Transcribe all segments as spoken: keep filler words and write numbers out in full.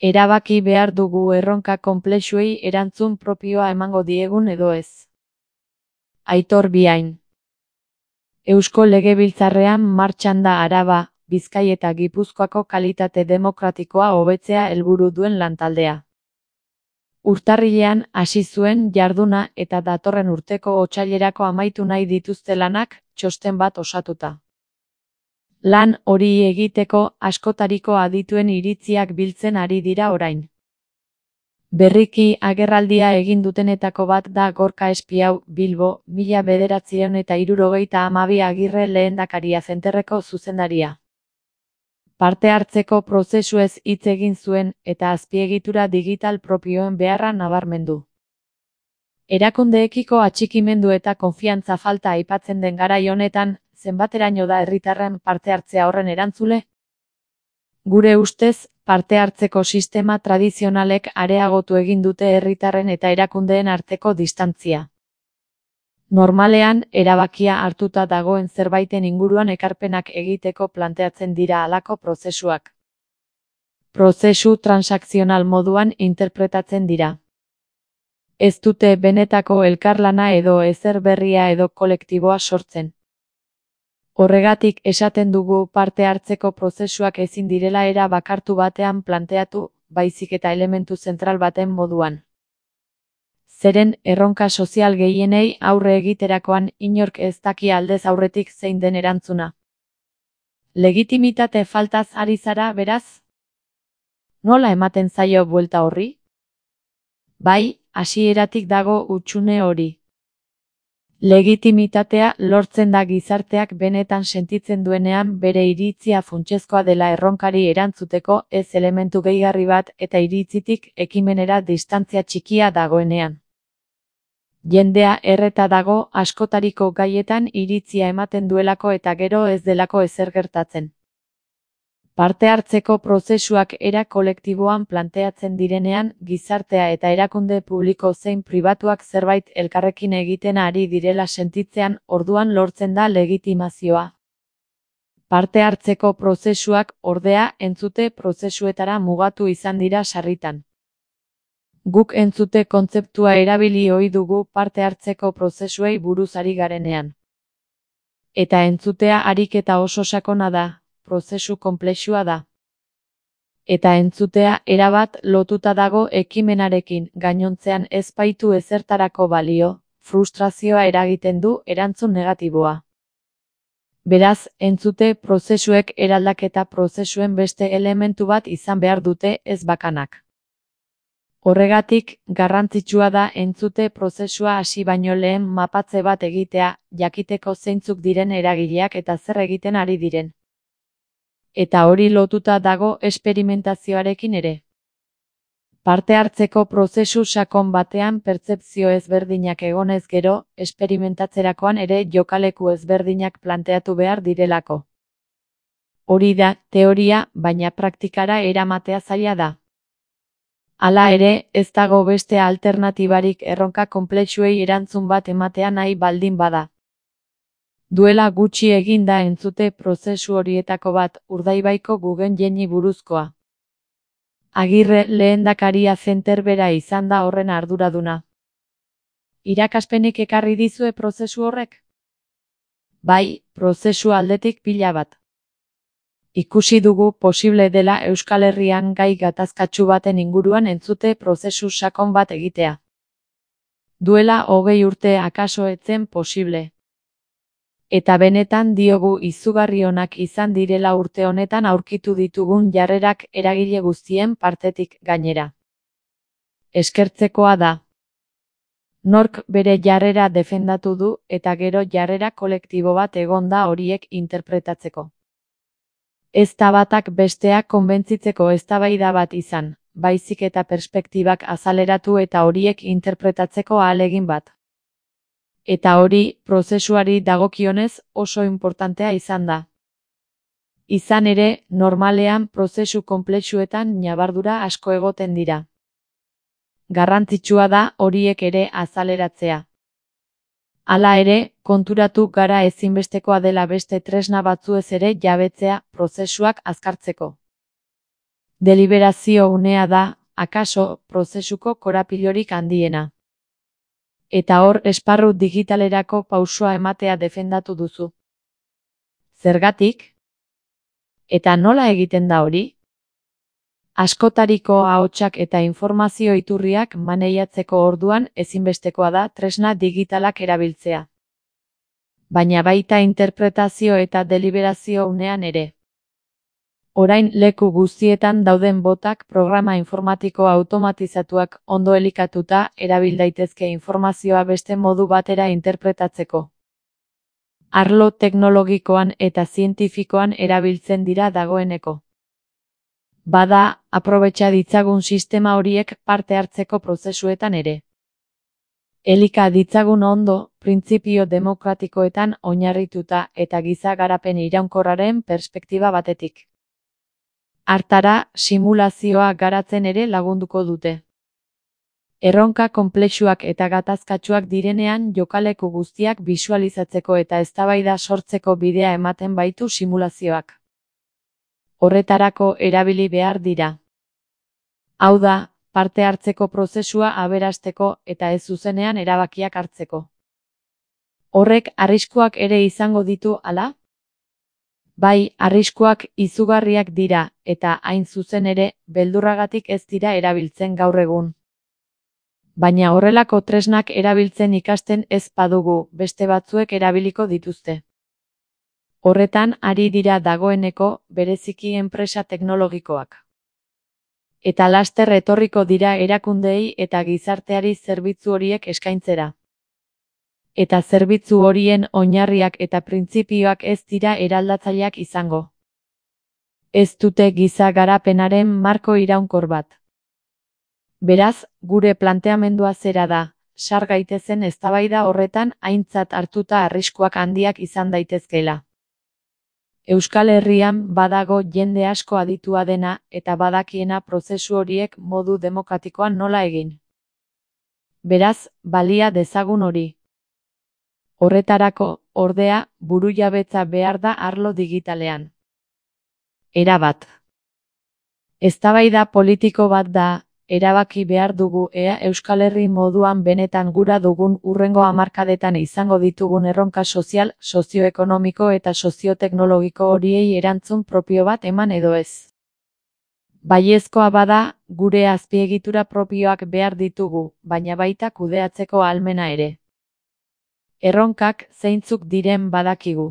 Erabaki behar dugu erronka konplexuei erantzun propioa emango diegun edo ez. Aitor Biain. Eusko Legebiltzarrean martxan da Araba, Bizkai eta Gipuzkoako kalitate demokratikoa hobetzea helburu duen lantaldea. Urtarrilean hasi zuen jarduna eta datorren urteko otsailerako amaitu nahi dituzte lanak, txosten bat osatuta. Lan hori egiteko askotariko adituen iritziak biltzen ari dira orain. Berriki agerraldia egin dutenetako bat da Gorka Espiau, Bilbo, mila bederatziehun eta hirurogeita hamabi Agirre lehendakaria zenterreko zuzendaria. Parte hartzeko prozesuez hitz egin zuen eta azpiegitura digital propioen beharra nabarmendu. Erakundeekiko atxikimendu eta konfiantza falta aipatzen den garai honetan, zenbateraino da herritarren parte hartzea horren erantzule? Gure ustez, parte hartzeko sistema tradizionalek areagotu egin dute herritarren eta erakundeen arteko distantzia. Normalean, erabakia hartuta dagoen zerbaiten inguruan ekarpenak egiteko planteatzen dira halako prozesuak. Prozesu transakzional moduan interpretatzen dira. Ez dute benetako elkarlana edo ezer berria edo kolektiboa sortzen. Horregatik esaten dugu parte hartzeko prozesuak ezin direla era bakartu batean planteatu, baizik eta elementu zentral baten moduan. Zeren erronka sozial gehienei aurre egiterakoan inork ez daki aldez aurretik zein den erantzuna. Legitimitate faltaz ari zara, beraz? Nola ematen zaio buelta horri? Bai, hasieratik dago hutsune hori. Legitimitatea lortzen da gizarteak benetan sentitzen duenean bere iritzia funtsezkoa dela erronkari erantzuteko ez elementu gehigarri bat eta iritzitik ekimenera distantzia txikia dagoenean. Jendea erreta dago askotariko gaietan iritzia ematen duelako eta gero ez delako ezer gertatzen. Parte hartzeko prozesuak era kolektiboan planteatzen direnean, gizartea eta erakunde publiko zein pribatuak zerbait elkarrekin egiten ari direla sentitzean, orduan lortzen da legitimazioa. Parte hartzeko prozesuak, ordea, entzute prozesuetara mugatu izan dira sarritan. Guk entzute kontzeptua erabili ohi dugu parte hartzeko prozesuei buruz ari garenean. Eta entzutea ariketa oso sakona da. Prozesu konplexua da. Eta entzutea erabat lotuta dago ekimenarekin, gainontzean ez baitu ezertarako balio, frustrazioa eragiten du erantzun negatiboa. Beraz, entzute prozesuek eraldaketa prozesuen beste elementu bat izan behar dute ez bakanak. Horregatik, garrantzitsua da entzute prozesua hasi baino lehen mapatze bat egitea, jakiteko zeintzuk diren eragileak eta zer egiten ari diren. Eta hori lotuta dago esperimentazioarekin ere. Parte hartzeko prozesu sakon batean pertzepzio ezberdinak egonez gero, esperimentatzerakoan ere jokaleku ezberdinak planteatu behar direlako. Hori da, teoria, baina praktikara eramatea zaila da. Hala ere, ez dago beste alternatibarik erronka konplexuei erantzun bat ematea nahi baldin bada. Duela gutxi egin da entzute prozesu horietako bat, Urdaibaiko Guggenheimi buruzkoa. Agirre lehendakaria zenter bera izan da horren arduraduna. Irakaspenik ekarri dizue prozesu horrek? Bai, prozesu aldetik pila bat. Ikusi dugu posible dela Euskal Herrian gai gatazkatsu baten inguruan entzute prozesu sakon bat egitea. Duela hogei urte akaso etzen posible. Eta benetan diogu izugarri onak izan direla urte honetan aurkitu ditugun jarrerak eragile guztien partetik gainera. Eskertzekoa da. Nork bere jarrera defendatu du eta gero jarrera kolektibo bat egon da horiek interpretatzeko. Ez da batak besteak konbentzitzeko eztabaida bat izan, baizik eta perspektibak azaleratu eta horiek interpretatzeko ahalegin bat. Eta hori, prozesuari dagokionez, oso inportantea izan da. Izan ere, normalean prozesu konplexuetan ñabardura asko egoten dira. Garrantzitsua da horiek ere azaleratzea. Hala ere, konturatu gara ezinbestekoa dela beste tresna batzuez ere jabetzea prozesuak azkartzeko. Deliberazio unea da, akaso, prozesuko korapilorik handiena. Eta hor esparru digitalerako pausoa ematea defendatu duzu. Zergatik? Eta nola egiten da hori? Askotariko ahotsak eta informazio iturriak maneiatzeko orduan ezinbestekoa da tresna digitalak erabiltzea. Baina baita interpretazio eta deliberazio unean ere. Orain leku guztietan dauden botak programa informatiko automatizatuak ondo elikatuta erabil daitezke informazioa beste modu batera interpretatzeko. Arlo teknologikoan eta zientifikoan erabiltzen dira dagoeneko. Bada, aprobetxa ditzagun sistema horiek parte hartzeko prozesuetan ere. Elika ditzagun ondo, printzipio demokratikoetan oinarrituta eta giza garapen iraunkorraren perspektiba batetik. Hartara, simulazioa garatzen ere lagunduko dute. Erronka konplexuak eta gatazkatsuak direnean jokaleku guztiak bisualizatzeko eta eztabaida sortzeko bidea ematen baitu simulazioak. Horretarako erabili behar dira. Hau da, parte hartzeko prozesua aberasteko eta ez zuzenean erabakiak hartzeko. Horrek arriskuak ere izango ditu ala? Bai, arriskuak izugarriak dira, eta hain zuzen ere, beldurragatik ez dira erabiltzen gaur egun. Baina horrelako tresnak erabiltzen ikasten ez badugu, beste batzuek erabiliko dituzte. Horretan ari dira dagoeneko, bereziki enpresa teknologikoak. Eta laster etorriko dira erakundeei eta gizarteari zerbitzu horiek eskaintzera. Eta zerbitzu horien oinarriak eta printzipioak ez dira eraldatzaileak izango. Ez dute giza garapenaren marko iraunkor bat. Beraz, gure planteamendua zera da, sar gaitezen eztabaida horretan aintzat hartuta arriskuak handiak izan daitezkeela. Euskal Herrian badago jende asko aditua dena eta badakiena prozesu horiek modu demokratikoan nola egin. Beraz, balia dezagun hori. Horretarako, ordea, burujabetza behar da arlo digitalean. Erabat. Eztabaida politiko bat da, erabaki behar dugu ea Euskal Herri moduan benetan gura dugun hurrengo hamarkadetan izango ditugun erronka sozial, sozioekonomiko eta sozioteknologiko horiei erantzun propio bat eman edo ez. Baiezkoa bada, gure azpiegitura propioak behar ditugu, baina baita kudeatzeko ahalmena ere. Erronkak zeintzuk diren badakigu.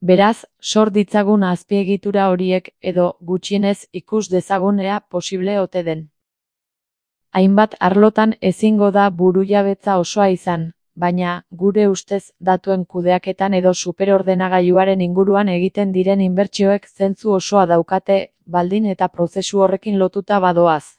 Beraz, sor ditzagun azpiegitura horiek edo gutxienez ikus dezagun ea posible ote den. Hainbat arlotan ezingo da burujabetza osoa izan, baina, gure ustez, datuen kudeaketan edo superordenagailuaren inguruan egiten diren inbertsioek zentzu osoa daukate, baldin eta prozesu horrekin lotuta badoaz.